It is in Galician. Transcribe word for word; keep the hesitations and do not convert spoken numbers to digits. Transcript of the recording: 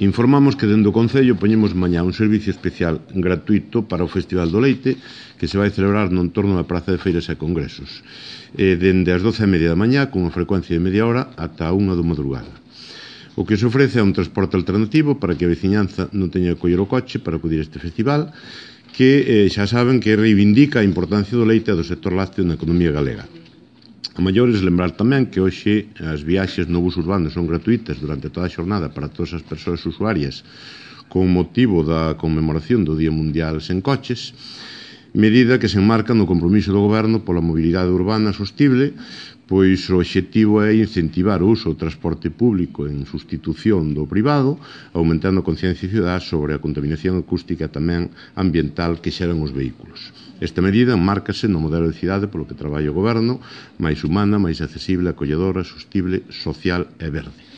Informamos que dende o Concello poñemos mañá un servicio especial gratuito para o Festival do Leite que se vai celebrar no entorno da Praza de Feiras e Congresos eh, dende as doce e media da mañá con unha frecuencia de media hora ata a unha da madrugada. O que se ofrece é un transporte alternativo para que a veciñanza non teña que coller o coche para acudir a este festival que eh, xa saben que reivindica a importancia do leite e do sector lácteo na economía galega. A maiores, lembrar tamén que hoxe as viaxes no bus urbano son gratuitas durante toda a xornada para todas as persoas usuarias con motivo da conmemoración do Día Mundial sen coches, medida que se enmarca no compromiso do Goberno pola mobilidade urbana sostible, pois o obxectivo é incentivar o uso do transporte público en sustitución do privado, aumentando a conciencia cidadá sobre a contaminación acústica e tamén ambiental que xeran os vehículos. Esta medida enmárcase no modelo de cidade polo que traballa o Goberno, máis humana, máis accesible, acolledora, sostible, social e verde.